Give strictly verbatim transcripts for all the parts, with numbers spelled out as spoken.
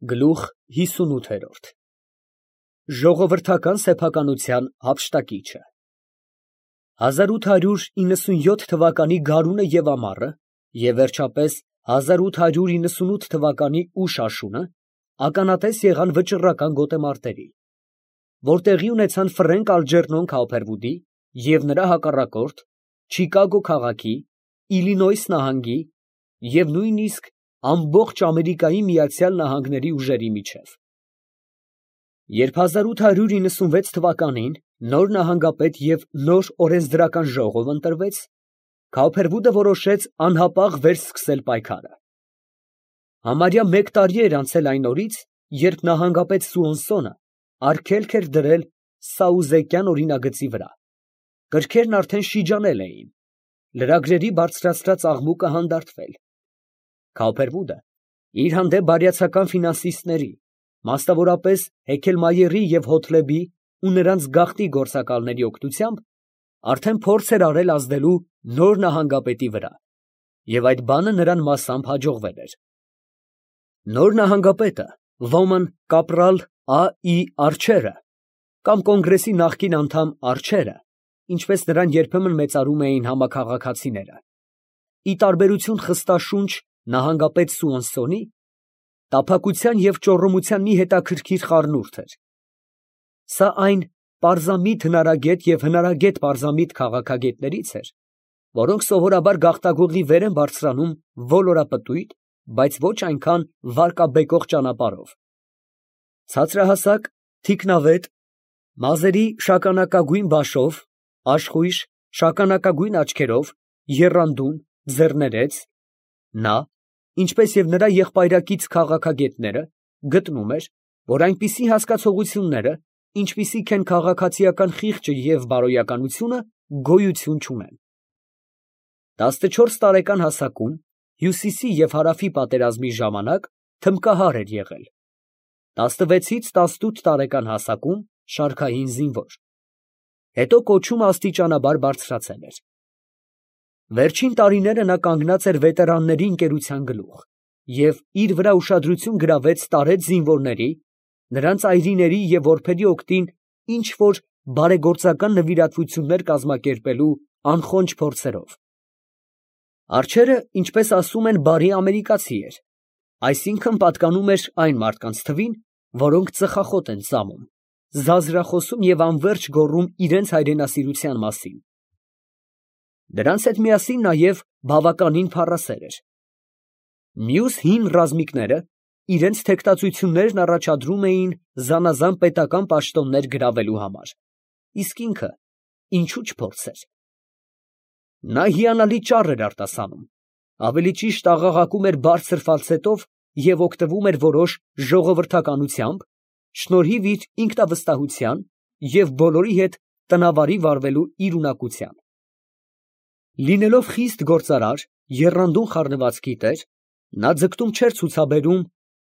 Գլուխ հիսունութ Ժողովրդական սեփականության հափշտակիչը հազար ութ հարյուր իննսունյոթ թվականի գարունը և ամառը և վերջապես հազար ութ հարյուր իննսունութ թվականի ուշ աշունը ականատես եղան վճռական գոտեմարտերի, որ տեղի ունեցան Ֆրենկ Ալջերնոն Քաուփերվուդի և նրա հակառակորդ Չիկագո քաղաքի, Իլինոյս նահանգի և նույնիսկ ամբողջ Ամերիկայի Միացյալ Նահանգների ուժերի միջև։ Երբ հազար ութ հարյուր իննսունվեց թվականին նոր նահանգապետ և նոր օրենսդրական ժողով ընտրվեց, Քաուփերվուդը որոշեց անհապաղ վերսկսել պայքարը։ Համարյա մեկ տարի էր անցել այն օրից, երբ նահանգապետ Սուոնսոնը արգելք էր դրել սաուզեկյան օրինագծի վրա. կրքերն արդեն շիջանել էին, լրագրերի բարձրացրած աղմուկը հանդարտվել։ Քաուփերվուդը իր հանդեպ բարյացակամ ֆինանսիստների, մասնավորապես Հեքելմայերի և Հոթլեբի ու նրանց գաղտնի գործակալների օգնությամբ արդեն փորձ էր արել ազդելու նոր նահանգապետի վրա, և այդ բանը նրան մասամբ հաջողվել էր։ Նոր նահանգապետը, ոմն կապրալ Ա. Ի. Արջերը կամ կոնգրեսի նախկին անդամ Արջերը, ինչպես նրան երբեմն մեծարում էին համաքաղաքացիները, ի տարբերություն խստաշունչ նահանգապետ Սուոնսոնի, տափակության և ճոռոմության մի հետաքրքիր խառնուրդ էր։ Սա այն պարզամիտ հնարագետ և հնարագետ պարզամիտ քաղաքագետներից էր, որոնք սովորաբար գաղտագողի վեր են բարձրանում ոլորապտույտ, բայց ոչ այնքան վարկաբեկող ճանապարհով։ Ցածրահասակ, թիկնավետ, մազերի շագանակագույն բաշով, աշխույժ, շագանակագույն աչքերով, եռանդուն, ձեռներեց, նա, ինչպես և նրա եղբայրակից քաղաքագետները, գտնում էր, որ այնպիսի հասկացությունները, ինչպիսիք են քաղաքացիական խիղճը և բարոյականությունը, գոյություն չունեն։ տասնչորս տարեկան հասակում հյուսիսի և հարավի պատերազմի ժամանակ թմբկահար էր եղել, տասնվեցից տասնութ տարեկան հասակում շարքային զինվոր, հետո կոչումը աստիճանաբար բարձրացել էր։ Վերջին տարիները նա կանգնած էր վետերանների ընկերության գլուխ և իր վրա ուշադրություն գրավեց տարեց զինվորների, նրանց այրիների և որբերի օգտին ինչ֊որ բարեգործական նվիրատվություններ կազմակերպելու անխոնջ փորձերով։ Արջերը, ինչպես ասում են, բարի ամերիկացի էր, այսինքն՝ պատկանում էր այն մարդկանց թվին, որոնք ծխախոտ են ծամում, զազրախոսում և անվերջ գոռում իրենց հայրենասիրության մասին։ Դրանց հետ միասին նաև բավականին փառասեր էր։ Մյուս հին ռազմիկները իրենց թեկտածություններն առաջադրում էին զանազան պետական պաշտոններ գրավելու համար, իսկ ինքը ինչո՞ւ չփորձեր։ Նա հիանալի ճառ էր արտասանում, ավելի ճիշտ աղաղակում էր բարձր ֆալցետով և օգտվում էր որոշ ժողովրդականությամբ, շնորհիվ իր ինքնավստահության և բոլորի հետ տնավարի վարվելու իր ունակության։ Լինելով խիստ գործարար, եռանդուն խառնվածքի տեր, նա ձգտում չէր ցուցաբերում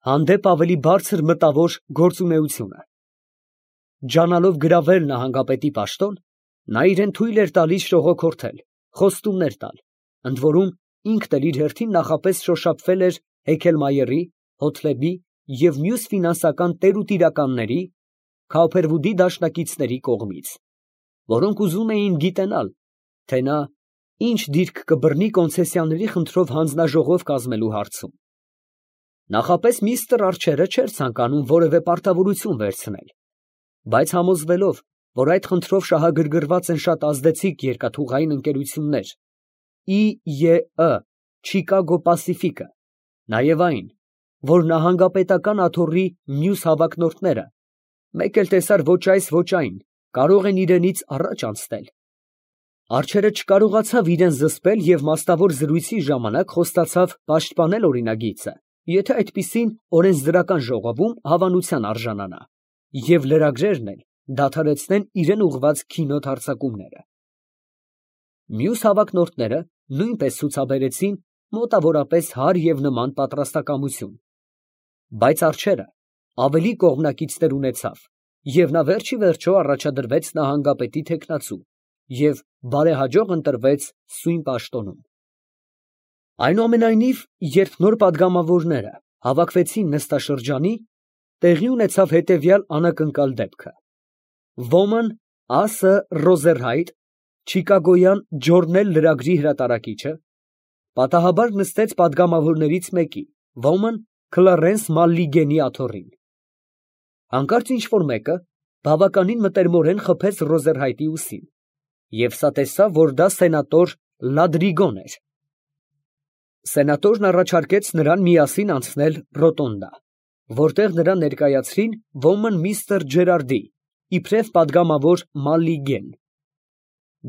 հանդեպ ավելի բարձր մտավոր գործունեությունը։ Ջանալով գրավել նահանգապետի պաշտոն, նա իրան թույլ էր տալիս շողոքորթել, խոստումներ տալ, ընդորում ինքն էլ իր հերթին նախապես շոշափվել էր Հեքելմայերի, Հոթլեբի և մյուս ֆինանսական տեր ու տիրականների, Քաուփերվուդի դաշնակիցների կողմից, որոնք ուզում էին գիտենալ, թե նա ինչ դիրք կբռնի կոնցեսիաների խնդրով հանձնաժողով կազմելու հարցում։ Նախապես միստր Արջերը չէր ցանկանում որևէ պարտավորություն վերցնել, բայց համոզվելով, որ այդ խնդրով շահագրգռված են շատ ազդեցիկ երկաթուղային ընկերություններ, Ի. Ե. Î. Չիկագո Պասիֆիկը, նաև այն, որ նահանգապետական աթոռի մյուս հավակնորդները, մեկ էլ տեսար ոչ այս, ոչ այն, կարող են իրենից առաջ անցնել, Արջերը չկարողացավ իրան զսպել և մասնավոր զրույցի ժամանակ խոստացավ պաշտպանել օրինագիծը, եթե այդպիսին օրենսդրական ժողովում հավանության արժանանա, և լրագրերն էլ դադարեցնեն իրան ուղղված քինոտ հարձակումները։ Մյուս հավակնորդները նույնպես ցուցաբերեցին մոտավորապես հարկ և նման պատրաստակամություն, բայց Արջերը ավելի կողմնակիցներ ունեցավ, և նա վերջիվերջո առաջադրվեց նահանգապետի թեկնածու և բարեհաջող ընտրվեց սույն պաշտոնում։ Այնուամենայնիվ, երբ նոր պատգամավորները Հավաքվեցին նստաշրջանի, տեղի ունեցավ հետևյալ անակնկալ դեպքը. ոմն Ասը Ռոզերհայթ, չիկագոյան ջորնել լրագրի հրատարակիչը, պատահաբար նստեց պատգամավորներից մեկի, ոմն Քլարենս Մալլիգենի աթոռին. հանկարծ ինչ֊որ մեկը բավականին մտերմորեն խփեց Ռոզերհայթի ուսին, և սա տեսավ, որ դա սենատոր Լադրիգոն էր։ Սենատորն առաջարկեց նրան միասին անցնել ռոտոնդա, որտեղ նրան ներկայացրին ոմն միստր Ջերարդի, իբրև պատգամավոր Մալլիգեն։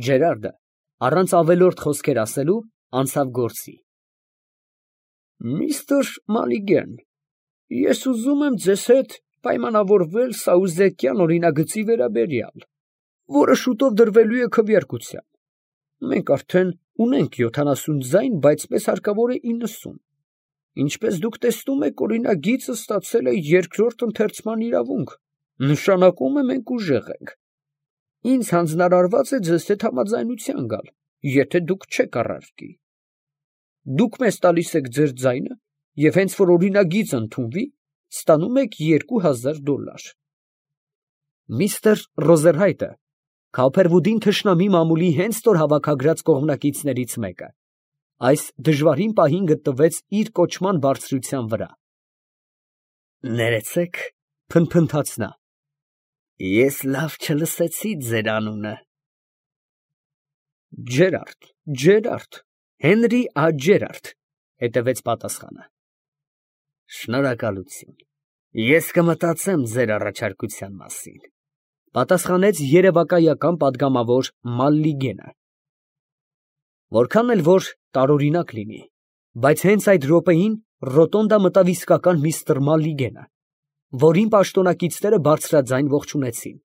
Ջերարդը, առանց ավելորդ խոսքեր ասելու, անցավ գործի։ Միստր Մալլիգեն, ես ուզում եմ ձեզ հետ պայմանավորվել սաուզեկյան օրինագծի վերաբերյալ, որը շուտով դրվելու է քվեարկության։ Մենք արդեն ունենք յոթանասուն ձայն, բայց մեզ հարկավոր է իննսուն։ Ինչպես դուք տեսնում եք, օրինագիծը ստացել է երկրորդ ընթերցման իրավունք, նշանակում է մենք ուժեղ ենք։ Ինձ հանձնարարված է ձեզ հետ համաձայնության գալ, եթե դուք չեք առարկի։ Դուք մեզ տալիս եք ձեր ձայնը, և հենց որ օրինագիծը ընդունվի, ստանում եք երկու հազար դոլար։ Միստր Ռոզերհայթը Քոփերվուդին թշնամի մամուլի հենց նոր հավաքագրած կողմնակիցներից մեկը, այս դժվարին պահին գտնվեց իր կոչման բարձրության վրա։ Ներեցեք, փնփնթաց նա, ես լավ չլսեցի ձեր անունը։ Ջերարդ, Ջերարդ, Հենրի ա. Ջերարդ, հետևեց պատասխանը։ Շնորհակալություն, ես կմտածեմ ձեր առաջարկության մասին, պատասխանեց երևակայական պատգամավոր Մալլիգենը։ Որքան էլ որ տարօրինակ լինի, բայց հենց այդ րոպեին ռոտոնդա մտավ իսկական միստր Մալլիգենը, որին պաշտոնակիցները բարձրաձայն ողջունեցին։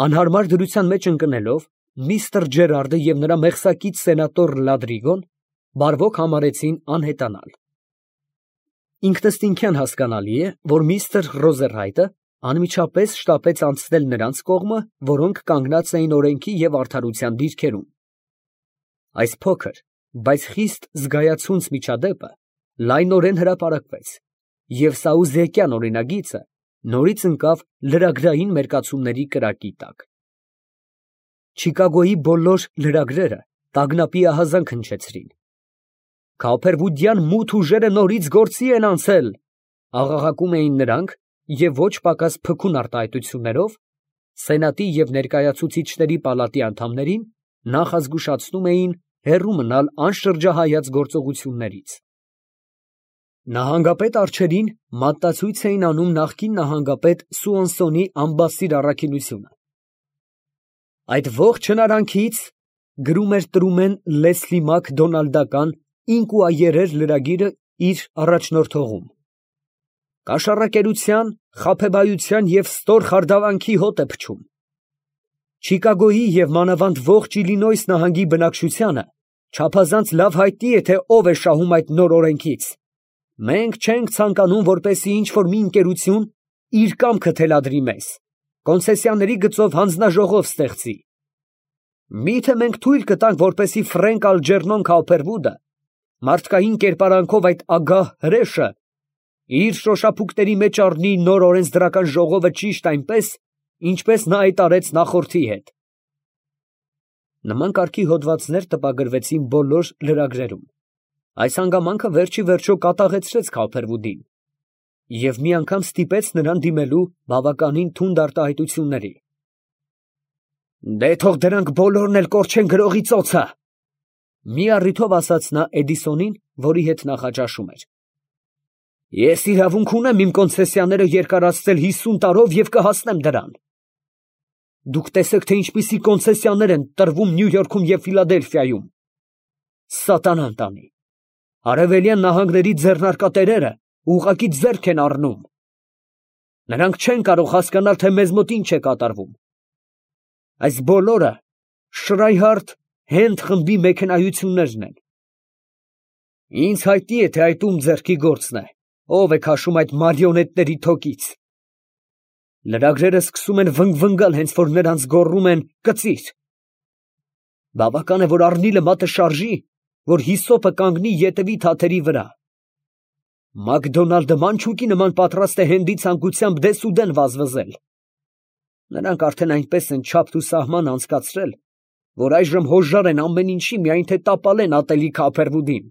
Անհարմար դրության մեջ ընկնելով, միստր Ջերարդը և նրա մեղսակից սենատոր Լադրիգոն բարվոք համարեցին անհետանալ։ Ինքնըստինքյան հասկանալի է, որ միստր Ռոզերհայթը անմիջապես շտապեց անցնել նրանց կողմը, որոնք կանգնած էին օրենքի և արդարության դիրքերում։ Այս փոքր, բայց խիստ զգայացունց միջադեպը լայնորեն հրապարակվեց, և սաուզեկյան օրինագիծը նորից ընկավ լրագրային մերկացումների կրակի տակ։ Չիկագոյի բոլոր լրագրերը տագնապի ահազանգ հնչեցրին։ Քոփերվուդյան մութ ուժերը նորից գործի են անցել, աղաղակում էին նրանք, և ոչ պակաս փքուն արտահայտություններով սենատի և ներկայացուցիչների պալատի անդամներին նախազգուշացնում էին հեռու մնալ անշրջահայաց գործողություններից։ Նահանգապետ արջերին մատնացույց էին անում նախկին նահանգապետ Սուոնսոնի անբասիր առաքինությունը։ Այդ ողջ հնարանքից, գրում էր տրումեն Լեսլի Մակդոնալդական ինկուայերեր լրագիրը իր առաջնորդողում, կաշառակերության, խաբեբայության և ստոր խարդավանքի հոտ է փչում։ Չիկագոյի և մանավանդ ողջ Իլինոյս նահանգի բնակչությանը չափազանց լավ հայտնի է, թե ով է շահում այդ նոր օրենքից։ Մենք չենք ցանկանում, որպեսզի ինչ֊որ մի ընկերություն իր կամքը թելադրի մեզ, կոնցեսիաների գծով հանձնաժողով ստեղծի։ Մի՞թե մենք թույլ կտանք, որպեսզի Ֆրենկ Ալջերնոն Քոփերվուդը մարդկային կերպարանքով այդ ագահ հրեշը իր շոշափուկների մեջ առնի նոր օրենսդրական ժողովը ճիշտ այնպես, ինչպես նա այդ արեց նախորդի հետ։ Նման կարգի հոդվածներ տպագրվեցին բոլոր լրագրերում։ Այս հանգամանքը վերջ ի վերջո կատաղեցրեց Քոփերվուդին և մի անգամ ստիպեց նրան դիմելու բավականին թունդ արտահայտությունների։ Դե թող դրանք բոլորն էլ կորչեն գրողի ծոցը, մի առիթով ասաց նա Էդիսոնին, որի հետ նախաճաշում էր։ Ես իրավունք ունեմ իմ կոնցեսիաները երկարացնել հիսուն տարով և կհասնեմ դրան։ Դուք տեսեք, թե ինչպիսի կոնցեսիաներ են տրվում Նյու Յորքում և Ֆիլադելֆիայում։ Սատանան տանի, արևելյան նահանգների ձեռնարկատերերը ուղղակի ձեռք են առնում։ Նրանք չեն կարող հասկանալ, թե մեզ մոտ ինչ է կատարվում։ Այս բոլորը Շրայհարդ Հենդ խմբի մեքենայություններն են։ Ինձ հայտնի է, թե այդ ում ձեռքի գործն է, ով է քաշում այդ մարիոնետների թոկից։ Լրագրերը սկսում են վնգվնգալ, հենց որ նրանց գոռում են կծիր։ Բավական է, որ առնիլը մատը շարժի, որ հիսոպը կանգնի ետևի թաթերի վրա։ Մակդոնալդը մանչուկի նման պատրաստ է հենդի ցանկությամբ դեսուդեն վազվզել։ Նրանք արդեն այնպես են չափ ու սահման անցկացրել, որ այժմ հոժար են ամեն ինչի, միայն թե տապալեն ատելի Քափերվուդին։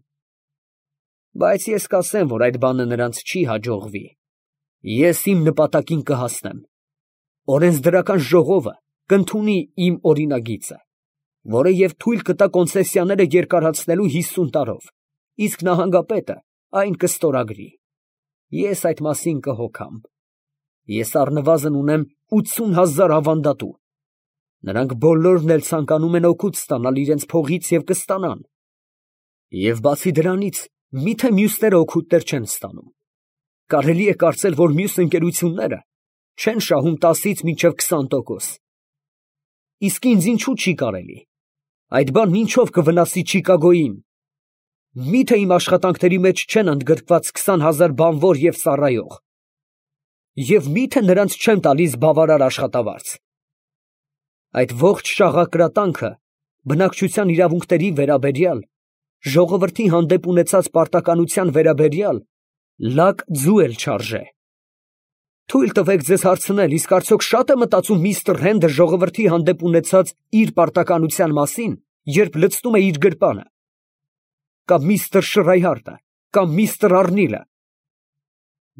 Բայց ես կասեմ, որ այդ բանը նրանց չի հաջողվի։ Ես իմ նպատակին կհասնեմ։ Օրենսդրական ժողովը կընդունի իմ օրինագիծը, որը և թույլ կտա կոնցեսիաները երկարացնելու հիսուն տարով, իսկ նահանգապետը այն կստորագրի։ Ես այդ մասին կհոգամ։ Ես առնվազն ունեմ ութսուն հազար ավանդատու։ Նրանք բոլորն էլ ցանկանում են օգուտ ստանալ իրենց փողից և կստանան։ Եվ բացի դրանից, միթե մյուսները օգուտներ չեն ստանում։ Կարելի է կարծել, որ մյուս ընկերությունները չեն շահում տասից մինչև քսան տոկոս։ Իսկ ինձ ինչու չի կարելի։ Այդ բանն ինչով կվնասի Չիկագոյին։ Միթե իմ աշխատանքների մեջ չեն ընդգրկված քսան հազար բանվոր և ծառայող։ Եվ միթե նրանց չեմ տալիս բավարար աշխատավարձ։ Այդ ողջ շաղակրատանքը բնակչության իրավունքների վերաբերյալ, ժողովրդի հանդեպ ունեցած պարտականության վերաբերյալ լակ ձու էլ չարժե։ Թույլ տվեք ձեզ հարցնել, իսկ արդյոք շա՞տ է մտածում միստր Հենդը ժողովրդի հանդեպ ունեցած իր պարտականության մասին, երբ լցնում է իր գրպանը։ Կամ միստր Շրայհարտը, կամ միստր Արնիլը։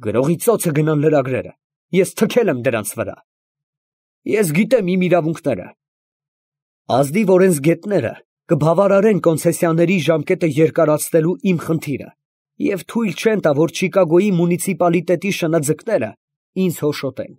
Գրողի ծոցը գնան լրագրերը, ես թքել եմ դրանց վրա։ Ես գիտեմ իմ իրավունքները։ Ազնիվ օրենսգետները կբավարարեն կոնցեսիաների ժամկետը երկարացնելու իմ խնդիրը և թույլ չեն տա, որ Չիկագոյի մունիցիպալիտետի շնաձկները ինձ հոշոտեն։